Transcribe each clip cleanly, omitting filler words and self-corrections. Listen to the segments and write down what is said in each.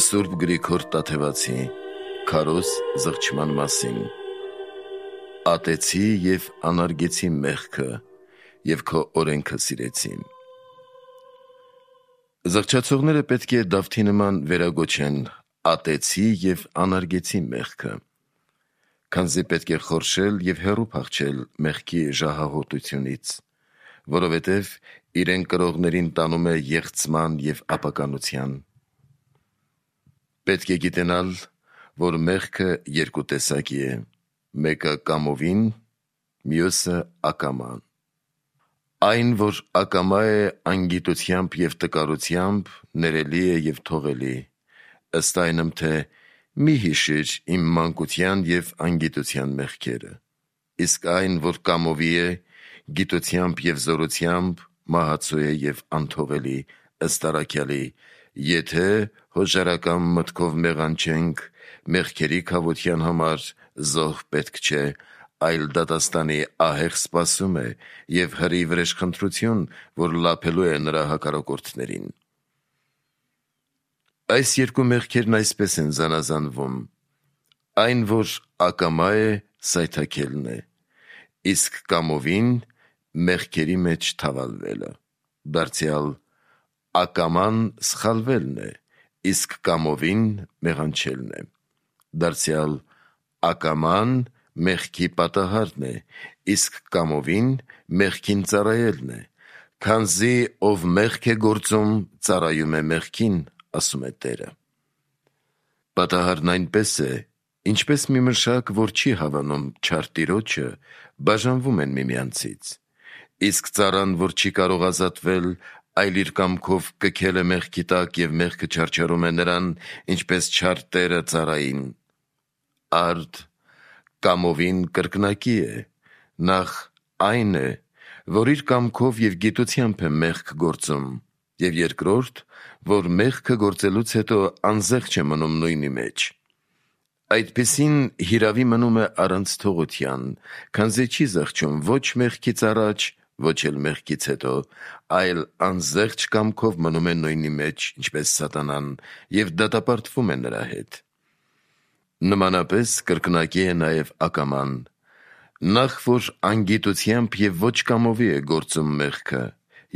Սուրբ Գրիգոր Տաթևացի քարոզ զղջման մասին։ Ատեցի և անարգեցի մեղքը և քո օրենքը սիրեցի։ Զղջացողները պետք է Դավթի նման վերագոչեն ատեցի և անարգեցի մեղքը, քանզի պետք է խորշել և հեռու փախչել մեղքի ժահահոտությունից, որովհետև իրեն կրողներին տանում է եղցման և ապականության։ Պետք է գիտենալ, որ մեղքը երկու տեսակի է, մեկը կամովին, մյուսը ակամա։ Այն, որ ակամա է անգիտությամբ և տկարությամբ, ներելի է և թողելի, ըստ այնմ, թե մի հիշիր իմ մանկության և անգիտության մեղքերը, իսկ այն, որ կամովի է, գիտությամբ և զորությամբ, մահացու է և անթողելի, ըստ առաքյալի, եթե հոժարական մտքով մեղանչենք, մեղքերի քավության համար զոհ պետք չէ, այլ դատաստանի ահեղ սպասում է և հրի վրեժխնդրություն, որ լափելու է նրա հակառակորդներին։ Այս երկու մեղքերն այսպես են զանազանվում. այն, որ ակամա է, սայթաքելն է, իսկ կամովին մեղքերի մեջ թավալվելը, դարձյալ ակաման սխալվելն է, իսկ կամովին մեղանչելն է, դարձյալ ակաման մեղքի պատահարն է, իսկ կամովին մեղքին ծառայելն է, քանզի ով մեղք է գործում, ծառայում է մեղքին, ասում է Տերը։ Պատահարն այնպես է, ինչպես մի մշակ, որ չի հավանում չար տիրոջը, բաժանվում են միմյանցից, իսկ ծառան, որ չի կարող ազատվել, այլ իր կամքով կքել է մեղքի տակ և մեղքը չարչարում է նրան, ինչպես չար տերը ծառային։ Արդ կամովին կրկնակի է, նախ այն է, որ իր կամքով և գիտությամբ է մեղք գործում, և երկրորդ, որ մեղքը գործելուց հետո անզեղչ է մնում նույնի մեջ։ Այդպիսին հիրավի մնում է առանց թողության, քանզի չի զղջում ոչ մեղքից առաջ, ոչ էլ մեղքից հետո, այլ անզեղչ կամքով մնում է նույնի մեջ, ինչպես սատանան, և դատապարտվում է նրա հետ։ Նմանապես կրկնակի է նաև ակաման, նախ որ անգիտությամբ և ոչ կամովի է գործում մեղքը,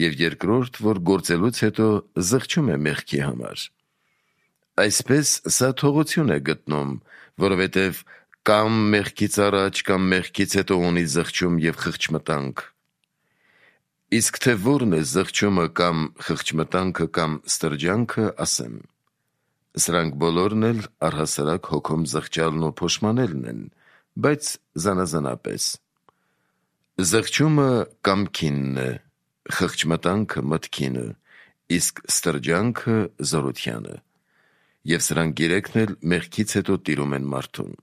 և երկրորդ, որ գործելուց հետո զղջում է մեղքի համար։ Այսպես սա թողություն է գտնում, որովհետև կամ մեղքից առաջ, կամ մեղքից հետո ունի զղջում և խղճմտանք։ Իսկ թե որն է զղջումը կամ խղճմտանքը կամ ստրջանքը, ասեմ. Սրանք բոլորն էլ առհասարակ հոգում զղջալն ու փոշմանելն են, բայց զանազանապես։ Զղջումը կամքինն է, խղճմտանքը մտքինը, իսկ ստրջանքը զորությանը, և սրանք երեքն էլ մեղքից հետո տիրում են մարդուն։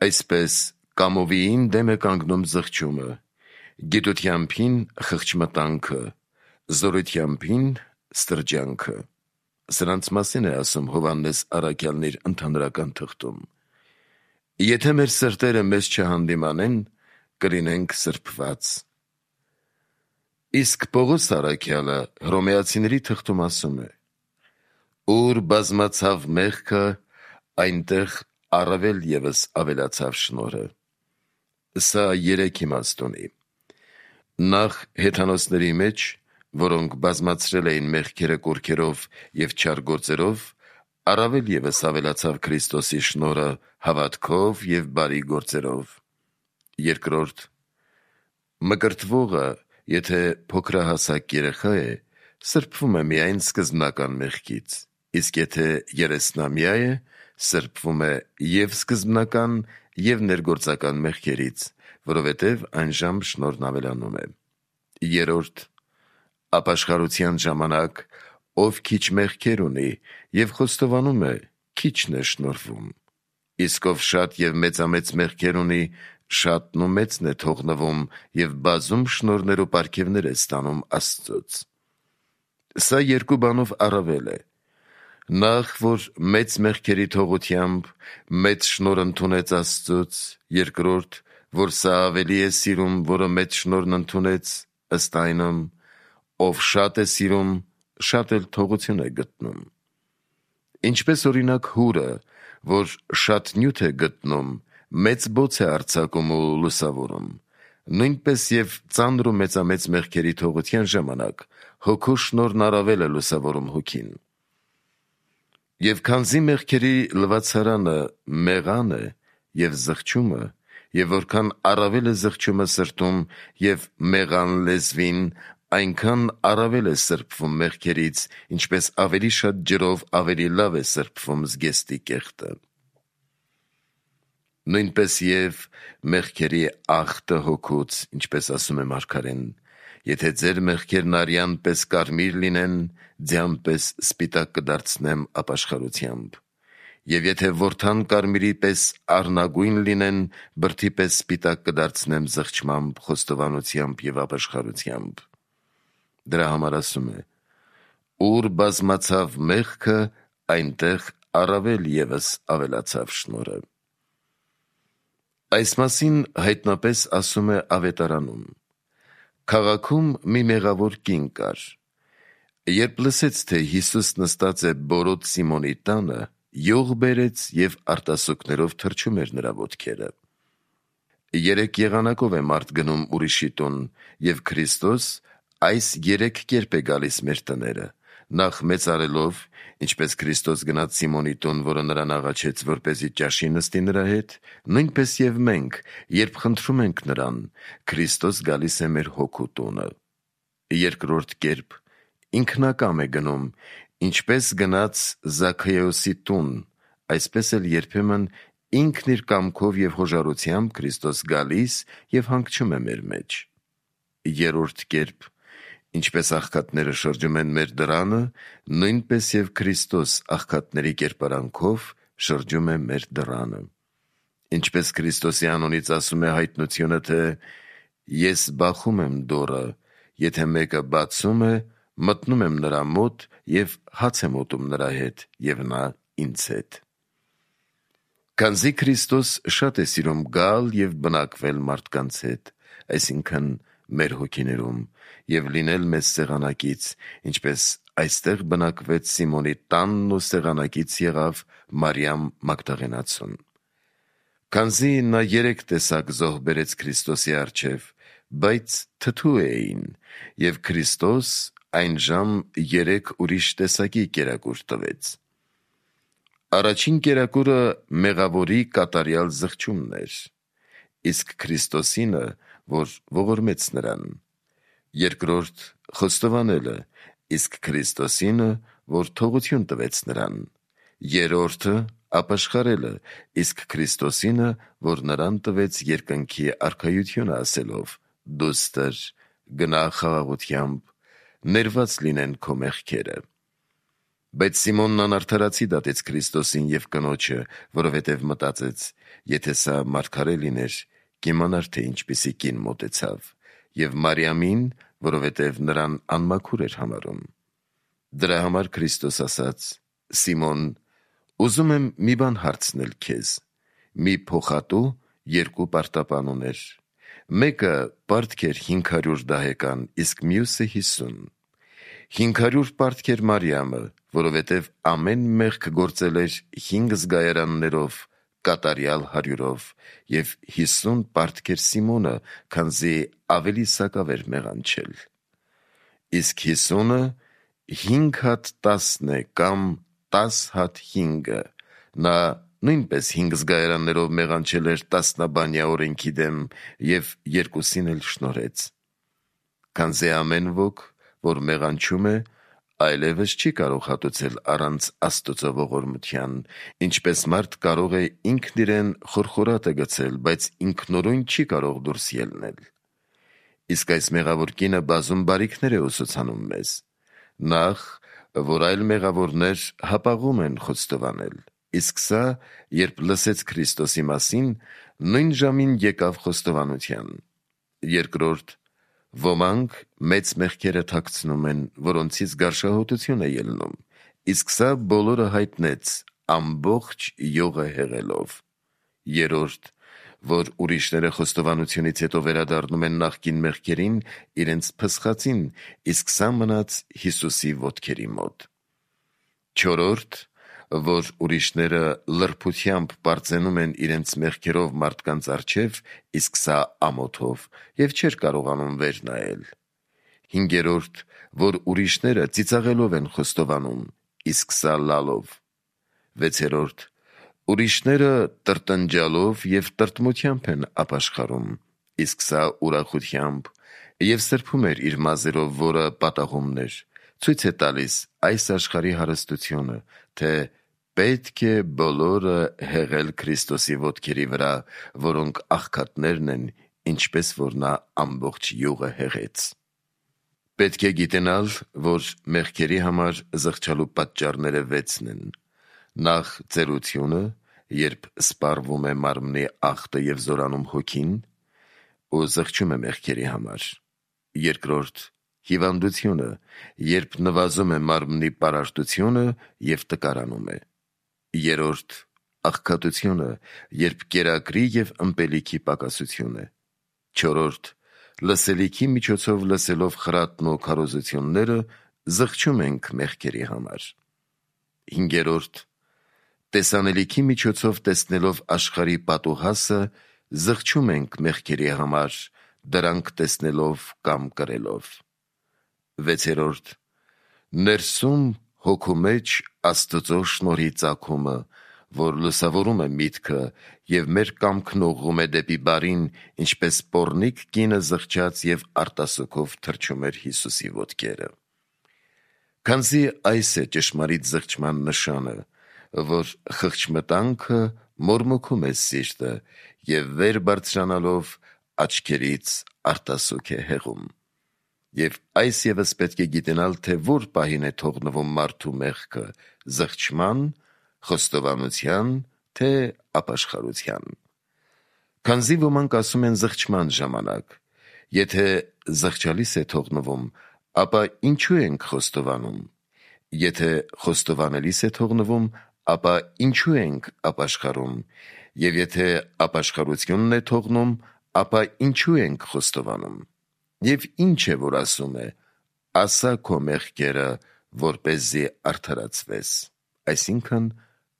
Այսպես կամովիին դեմ է կանգնում զղջումը, գիտությամբին խղճմտանքը, զորությամբին ստրջանքը։ Սրանց մասին է ասում Հովհաննես առաքյալն իր ընդհանրական թղթում. եթե մեր սրտերը մեզ չհանդիմանեն, կլինենք սրբված։ Իսկ Պողոս առաքյալը Հռոմեացիների թղթում ասում է. ուր բազմացավ մեղքը, այնտեղ առավել ևս ավելացավ շնորհը։ Սա երեք իմաստ ունի. նախ հեթանոսների մեջ, որոնք բազմացրել էին մեղքերը կուռքերով և չար գործերով, առավել ևս ավելացավ Քրիստոսի շնորհը հավատքով և բարի գործերով։ Երկրորդ, մկրտվողը, եթե փոքրահասակ երեխա է, սրբվում է միայն սկզբնական մեղքից, իսկ եթե երեսնամյա է, սրբվում է և սկզբնական, և ներգործական մեղքերից, որովհետև այնժամ շնորհն ավելանում է։ Երրորդ, ապաշխարության ժամանակ, ով քիչ մեղքեր ունի և խոստովանում է, քիչն է շնորհվում, իսկ ով շատ և մեծամեծ մեղքեր ունի, շատն ու մեծն է թողնվում և բազում շնորհներ ու պարգևներ է ստանում Աստծուց։ Սա երկու բանով առավել է. նախ, որ մեծ մեղքերի թողությամբ մեծ շնորհ ընդունեց Աստծուց, երկրորդ, որ սա ավելի է սիրում, որը մեծ շնորհն ընդունեց, ըստ այնմ, ով շատ է սիրում, շատ էլ թողություն է գտնում։ Ինչպես օրինակ հուրը, որ շատ նյութ է գտնում, մեծ բոց է արձակում ու լուսավորում, նույնպես և ծանր ու մեծամեծ մեղքերի թողության ժամանակ հոգու շնորհն առավել է լուսավորում հոգին։ Եվ քանզի մեղքերի լվացարանը մեղան է և զղջումը, և որքան առավել է զղջումը սրտում և մեղան լեզվին, այնքան առավել է սրբվում մեղքերից, ինչպես ավելի շատ ջրով ավելի լավ է սրբվում զգեստի կեղտը։ Նույնպես և մեղքերի աղտը հոգուց, ինչպես ասում է մարգարեն, եթե ձեր մեղքերն արյան պես կարմիր լինեն, ձյան պես սպիտակ կդարձնեմ ապաշխարությամբ, և եթե որդան կարմիրի պես առնագույն լինեն, բրդի պես սպիտակ կդարձնեմ զղջմամբ, խոստովանությամբ և ապաշխարությամբ։ Դրա համար ասում է. ուր բազմացավ մեղքը, այնտեղ առավել ևս ավելացավ շնորհը։ Այս մասին հայտնապես ասում է Ավետարանում. քաղաքում մի մեղավոր կին կար. երբ լսեց, թե Հիսուս նստած է բորոտ Սիմոնի տանը, յուղ բերեց և արտասուքներով թրջում էր նրա ոտքերը։ 3 եղանակով է մարդ գնում ուրիշի տուն, և Քրիստոս այս 3 կերպ է գալիս մեր տները. նախ մեծարելով, ինչպես Քրիստոս գնաց Սիմոնի տուն, որը նրան աղաչեց, որպեսզի ճաշի նստի նրա հետ, նույնպես և մենք, երբ խնդրում ենք նրան, Քրիստոս գալիս է մեր հոգու տունը։ Երկրորդ կերպ ինքնակամ է գնում, ինչպես գնաց Զաքեոսի տուն, այսպես էլ երբեմն ինքն իր կամքով և հոժարությամբ Քրիստոս գալիս և հանգչում է մեր մեջ։ Երրորդ կերպ ինչպես աղքատները շրջում են մեր դռանը, նույնպես և Քրիստոս աղքատների կերպարանքով շրջում է մեր դռանը։ Ինչպես Քրիստոսի անունից ասում է հայտնությունը, թե «Ես բախում եմ դուռը, եթե մեկը բացում է, մտնում եմ նրա մոտ և հաց եմ ուտում նրա հետ, և նա ինձ հետ»։ Քանզի Քրիստոս շատ է սիրում գալ և բնակվել մարդկանց հետ, այսինքն մեր հոգիներում, և լինել մեզ սեղանակից, ինչպես այստեղ բնակվեց Սիմոնի տանն ու սեղանակից եղավ Մարիամ Մագդաղենացուն։ Քանզի նա 3 տեսակ զոհ բերեց Քրիստոսի առջև, բայց թթու էին, և Քրիստոս այնժամ 3 ուրիշ տեսակի կերակուր տվեց։ Առաջին կերակուրը մեղավորի կատարյալ զղջումն էր, իսկ Քրիստոսինը, որ ողորմեց նրան։ Երկրորդ խոստովանելը, իսկ Քրիստոսինը, որ թողություն տվեց նրան։ Երրորդը ապաշխարելը, իսկ Քրիստոսինը, որ նրան տվեց երկնքի արքայությունը ասելով. «Դուստր, գնա խաղաղությամբ, ներված լինեն քո մեղքերը»։ Բայց Սիմոնն անարդարացի դատեց Քրիստոսին և կնոջը, որովհետև մտածեց. եթե սա մարգարե լիներ, կիմանար, թե ինչպիսի կին մոտեցավ, և Մարիամին, որովհետև նրան անմաքուր էր համարում։ Դրա համար Քրիստոս ասաց. «Սիմոն, ուզում եմ մի բան հարցնել քեզ. մի փոխատու 2 պարտապան ուներ, մեկը պարտք էր 500 դահեկան, իսկ մյուսը 50։ 500 պարտք էր Մարիամը, որովհետև ամեն մեղք գործել էր 5 զգայարաններով, կատարյալ 100-ով, և 50 պարտք էր Սիմոնը, քանզի ավելի սակավ էր մեղանչել։ Իսկ 50-ը 5 հատ 10 է, կամ 10 հատ 5-ը, նա նույնպես 5 զգայարաններով մեղանչել էր տասնաբանյա օրենքի դեմ և 2-ին էլ շնորհեց։ Քանզի ամեն ոք, որ մեղանչում է, այլևս չի կարող հատուցել առանց Աստծո ողորմության, ինչպես մարդ կարող է ինքն իրեն խորխորատը գցել, բայց ինքնուրույն չի կարող դուրս ելնել։ Իսկ այս մեղավոր կինը բազում բարիքներ է ուսուցանում մեզ։ Նախ, որ այլ մեղավորներ հապաղում են խոստովանել, իսկ սա, երբ լսեց Քրիստոսի մասին, նույն ժամին եկավ խոստովանության։ Երկրորդ, ոմանք մեծ մեղքերը թաքցնում են, որոնցից գարշահոտություն է ելնում, իսկ սա բոլորը հայտնեց ամբողջ յուղը հեղելով։ Երրորդ, որ ուրիշները խոստովանությունից հետո վերադառնում են նախկին մեղքերին իրենց փսխածին, իսկ սա մնաց Հիսուսի ոտքերի մոտ։ Չորրորդ, որ ուրիշները լրբությամբ պարծենում են իրենց մեղքերով մարդկանց առջև, իսկ սա ամոթով, և չէր կարողանում վեր նայել։ 5. Որ ուրիշները ծիծաղելով են խոստովանում, իսկ սա լալով։ 6. Ուրիշները տրտնջալով և տրտմությամբ են ապաշխարում, իսկ սա ուրախությամբ, և սրբում էր իր մազերով, որը պատահումն էր, ցույց է տալիս այս աշխարհի հարստությունը, թե պետք է բոլորը հեղել Քրիստոսի ոտքերի վրա, որոնք աղքատներն են, ինչպես որ նա ամբողջ յուղը հեղեց։ Պետք է գիտենալ, որ մեղքերի համար զղջալու պատճառները 6-ն են. նախ ծերությունը, երբ սպառվում է մարմնի ախտը և զորանում հոգին, ու զղջում է մեղքերի համար. 2. Հիվանդությունը, երբ նվազում է մարմնի պարարտությունը և տկարանում է. 3. Աղքատությունը, երբ կերակրի և ըմպելիքի պակասություն է. 4. Լսելիքի միջոցով լսելով խրատն ու քարոզությունները զղջում ենք մեղքերի համար. 5. Տեսանելիքի միջոցով տեսնելով աշխարհի պատուհասը զղջում ենք մեղքերի համար, դրանք տեսնելով կամ կրելով. 6. Ներսում հոգու մեջ Աստծո շնորհի ծագումը, որ լուսավորում է միտքը և մեր կամքն ուղղում է դեպի բարին, ինչպես պոռնիկ կինը զղջաց և արտասուքով թրջում էր Հիսուսի ոտքերը։ Քանզի այս է ճշմարիտ զղջման նշանը, որ խղճմտանքը մորմոքում է սիրտը և վեր բարձրանալով աչքերից արտասուք է հեղում։ Եվ այս ևս պետք է գիտենալ, թե որ պահին է թողնվում մարդու մեղքը՝ զղջման, խոստովանության, թե ապաշխարության։ Քանզի ոմանք ասում են զղջման ժամանակ. եթե զղջալիս է թողնվում, ապա ինչու ենք խոստովանում. եթե խոստովանելիս է թողնվում, ապա ինչու ենք ապաշխարում, և եթե ապաշխարությունն է թողնում, ապա ինչու ենք խոստովանում։ Եվ ինչ է, որ ասում է. ասա քո մեղքերը, որպեսզի արդարացվես, այսինքն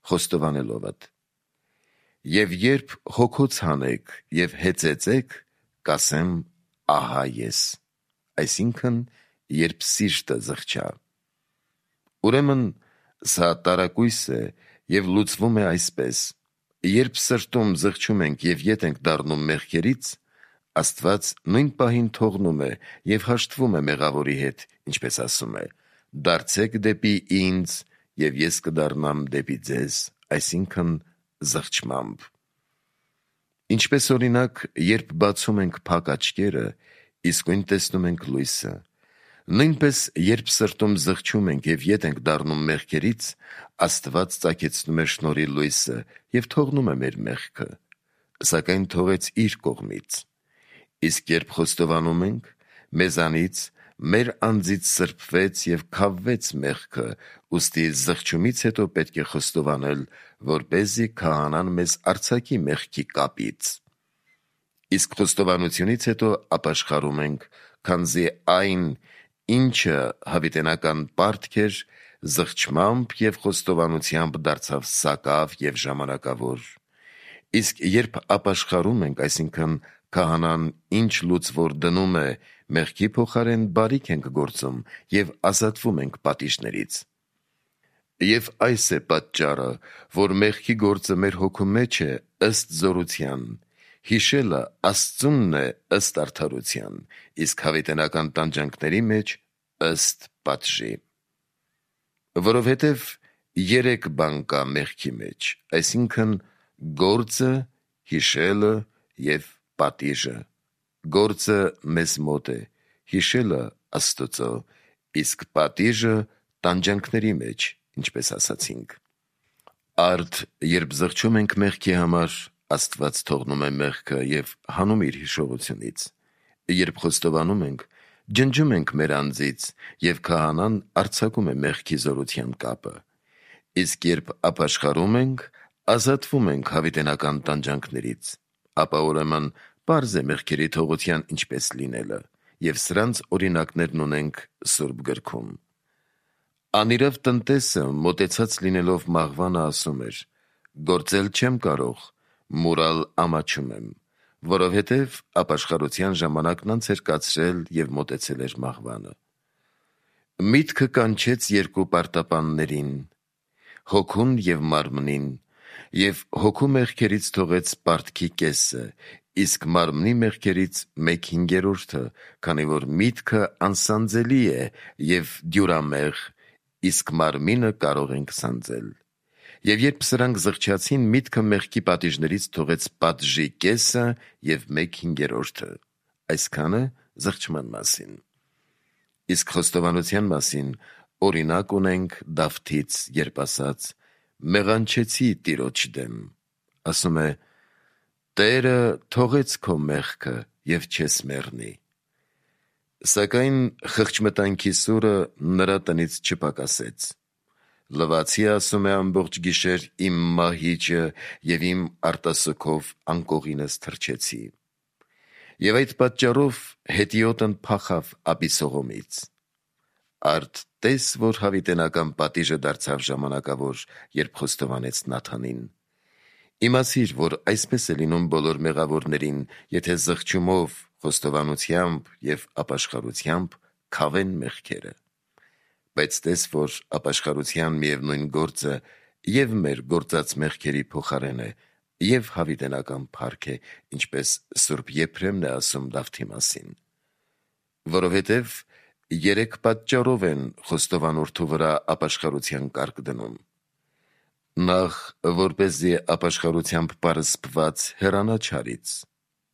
խոստովանելովդ։ Եվ երբ հոգոց հանեք և հեծեծեք, կասեմ. ահա ես, այսինքն երբ սիրտը զղջա։ Ուրեմն սա տարակույս է և լուծվում է այսպես. երբ սրտում զղջում ենք և ետ ենք դառնում մեղքերից, Աստված նույն պահին թողնում է և հաշտվում է մեղավորի հետ, ինչպես ասում է. դարձեք դեպի ինձ, և ես կդառնամ դեպի ձեզ, այսինքն զղջմամբ։ Ինչպես օրինակ, երբ բացում ենք փակ աչքերը, իսկույն տեսնում ենք լույսը, նույնպես երբ սրտում զղջում ենք և ետ ենք դառնում մեղքերից, Աստված ծագեցնում է շնորհի լույսը և թողնում է մեր մեղքը, սակայն թողեց իր կողմից։ Իսկ երբ խոստովանում ենք, մեզանից, մեր անձից սրբվեց և քավվեց մեղքը, ուստի զղջումից հետո պետք է խոստովանել, որպեսզի քահանան մեզ արձակի մեղքի կապից։ Իսկ խոստովանությունից հետո ապաշխարում ենք, քանզի այն, ինչը հավիտենական պարտք էր, զղջմամբ և խոստովանությամբ դարձավ սակավ և ժամանակավոր։ Իսկ երբ ապաշխարում ենք, այսինքն քահանան ինչ լուծվոր դնում է, մեղքի փոխարեն բարիք ենք գործում և ազատվում ենք պատիժներից։ Եվ այս է պատճառը, որ մեղքի գործը մեր հոգու մեջ է ըստ զորության, հիշելը Աստծունն է ըստ արդարության, իսկ հավիտենական տանջանքների մեջ ըստ պատժի։ Որովհետև 3 բան կա մեղքի մեջ, այսինքն գործը, հիշելը և պատիժը։ Գործը մեզ մոտ է, հիշելը Աստծո, իսկ պատիժը տանջանքների մեջ, ինչպես ասացինք։ Արդ երբ զղջում ենք մեղքի համար, Աստված թողնում է մեղքը և հանում իր հիշողությունից։ Երբ խոստովանում ենք, ջնջում ենք մեր անձից, և քահանան արձակում է մեղքի զորության կապը։ Իսկ երբ ապաշխարում ենք, ազատվում ենք հավիտենական տանջանքներից, ապա ուրեմն պարզ է մեղքերի թողության ինչպես լինելը, և սրանց օրինակներն ունենք Սուրբ գրքում։ Անիրավ տնտեսը մոտեցած լինելով մաղվանը ասում էր. «Գործել չեմ կարող, մուրալ ամաչում եմ», որովհետև ապաշխարության ժամանակն անց էր կացրել և մոտեցել էր մաղվանը։ Միտքը կանչեց երկու պարտապաններին, հոգուն և մարմնին, և հոգու մեղքերից թողեց պարտքի կեսը, իսկ մարմնի մեղքերից 1/5, քանի որ միտքը անսանձելի է և դյուրամեղ, իսկ մարմինը կարող ենք սանձել։ Եվ երբ սրանք զղջացին, միտքը մեղքի պատիժներից թողեց պատժի կեսը և 1/5, այսքանը զղջման մասին։ Իսկ խոստովանության մասին օրինակ ունենք Դավթից, երբ ասաց. «Մեղանչեցի Տիրոջ դեմ», ասում է. «Տերը թողեց քո մեղքը և չես մեռնի»։ Սակայն խղճմտանքի սուրը նրա տնից չպակասեց։ «Լվացի, ասում է, ամբողջ գիշեր իմ մահիճը և իմ արտասուքով անկողինս թռչեցի։ Եվ այդ պատճառով հետիոտն փախավ Աբիսողոմից»։ Արդ տես, որ հավիտենական պատիժը դարձավ ժամանակավոր, երբ խոստովանեց Նաթանին։ Իմացիր, որ այսպես է լինում բոլոր մեղավորներին, եթե զղջումով, խոստովանությամբ և ապաշխարությամբ քավեն մեղքերը։ Բայց տես, որ ապաշխարության միևնույն գործը և մեր գործած մեղքերի փոխարեն է, և հավիտենական փառք է, ինչպես Սուրբ Եփրեմն է ասում Դավթի մասին։ Որովհետև 3 պատճառով են խոստովանորդու վրա ապաշխարության կարգ դնում. Նախ, որպեսզի ապաշխարությամբ պարսպված հեռանա չարից.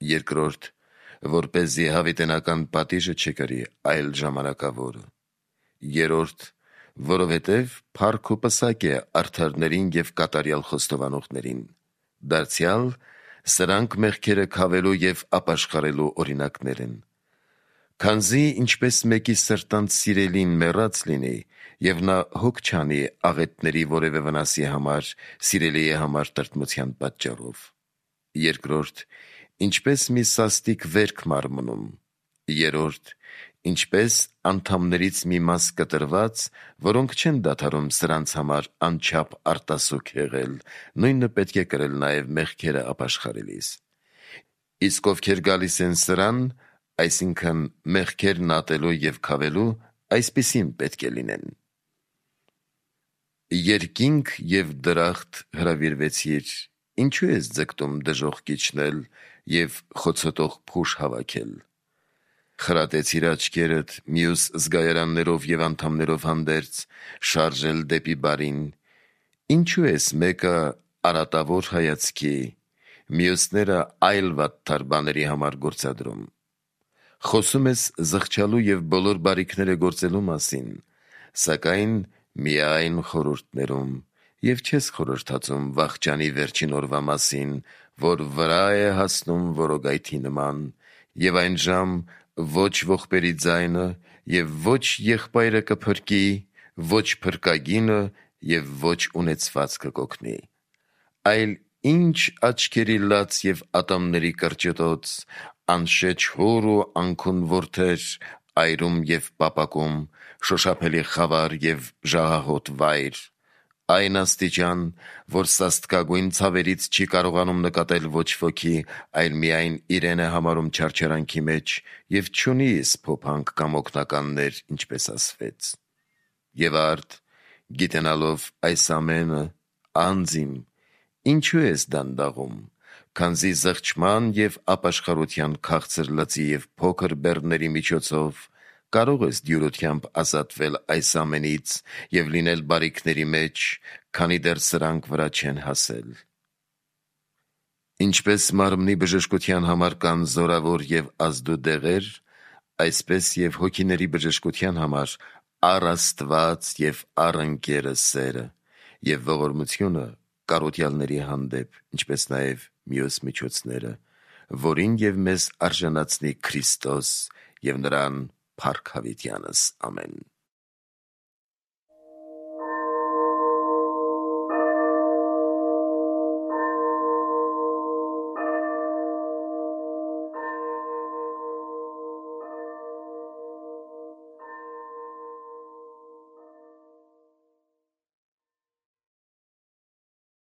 երկրորդ, որպեսզի հավիտենական պատիժը չկրի, այլ ժամանակավոր. երրորդ, որովհետև փառք ու պսակ է արդարներին և կատարյալ խոստովանողներին, դարձյալ սրանք մեղքերը քավելու և ապաշխարելու օրինակներ են։ Քանզի ինչպես մեկի սրտանց սիրելին մեռած լինի, և նա հոգ չանի աղետների որևէ վնասի համար սիրելիի համար տրտմության պատճառով։ Երկրորդ, ինչպես մի սաստիկ վերք մարմնում։ Երրորդ, ինչպես անդամներից մի մաս կտրված, որոնք չեն դադարում սրանց համար անչափ արտասուք հեղել, նույնը պետք է կրել նաև մեղքերը ապաշխարելիս։ Իսկ ովքեր գալիս են սրան, այսինքն մեղքերն ատելու և քավելու, այսպիսին պետք է լինեն։ Երկինք և դրախտ հրավիրվեցիր, ինչու ես ձգտում դժոխք իջնել և խոցոտող փուշ հավաքել։ Խրատեցիր աչքերդ մյուս զգայարաններով և անդամներով հանդերձ, շարժել դեպի բարին, ինչու ես մեկը արատավոր հայացքի, մյուսները այլ վատթար բաների համար գործադրում։ Խոսում ես զղջալու և բոլոր բարիքները գործելու մասին, սակայն միայն խորհուրդներում, և չես խորհրդածում վախճանի վերջին օրվա մասին, որ վրա է հասնում որոգայթի նման, և այն ժամ ոչ ողբերի ձայնը, և ոչ եղբայրը կփրկի, ոչ փրկագինը և ոչ ունեցվածքը կօգնի, այլ ինչ աչքերի լաց և ատամների կրճտոց, անշեչ հոր ու անքուն որդեր, այրում և պապակում, շոշափելի խավար և ժահահոտ վայր, այն աստիճան, որ սաստկագույն ցավերից չի կարողանում նկատել ոչ ոքի, այլ միայն իրեն է համարում չարչարանքի մեջ և չունի սփոփանք կամ օգնականներ, ինչպես ասվեց։ Եվ արդ, գիտենալով այս ամենը, անձ իմ, ինչու ես դանդաղում, քանզի զղջման և ապաշխարության քաղցր լծի և փոքր բեռների միջոցով կարող ես դյուրությամբ ազատվել այս ամենից և լինել բարիքների մեջ, քանի դեռ սրանք վրա չեն հասել։ Ինչպես մարմնի բժշկության համար կան զորավոր և ազդու դեղեր, այսպես և հոգիների բժշկության համար առ Աստված և առ ընկերը սերը և ողորմությունը կարոտյալների հանդեպ, ինչպես նաև մյուս միջոցները, որին և մեզ արժանացնի Քրիստոս և նրան փառք հավիտյանս։ Ամեն։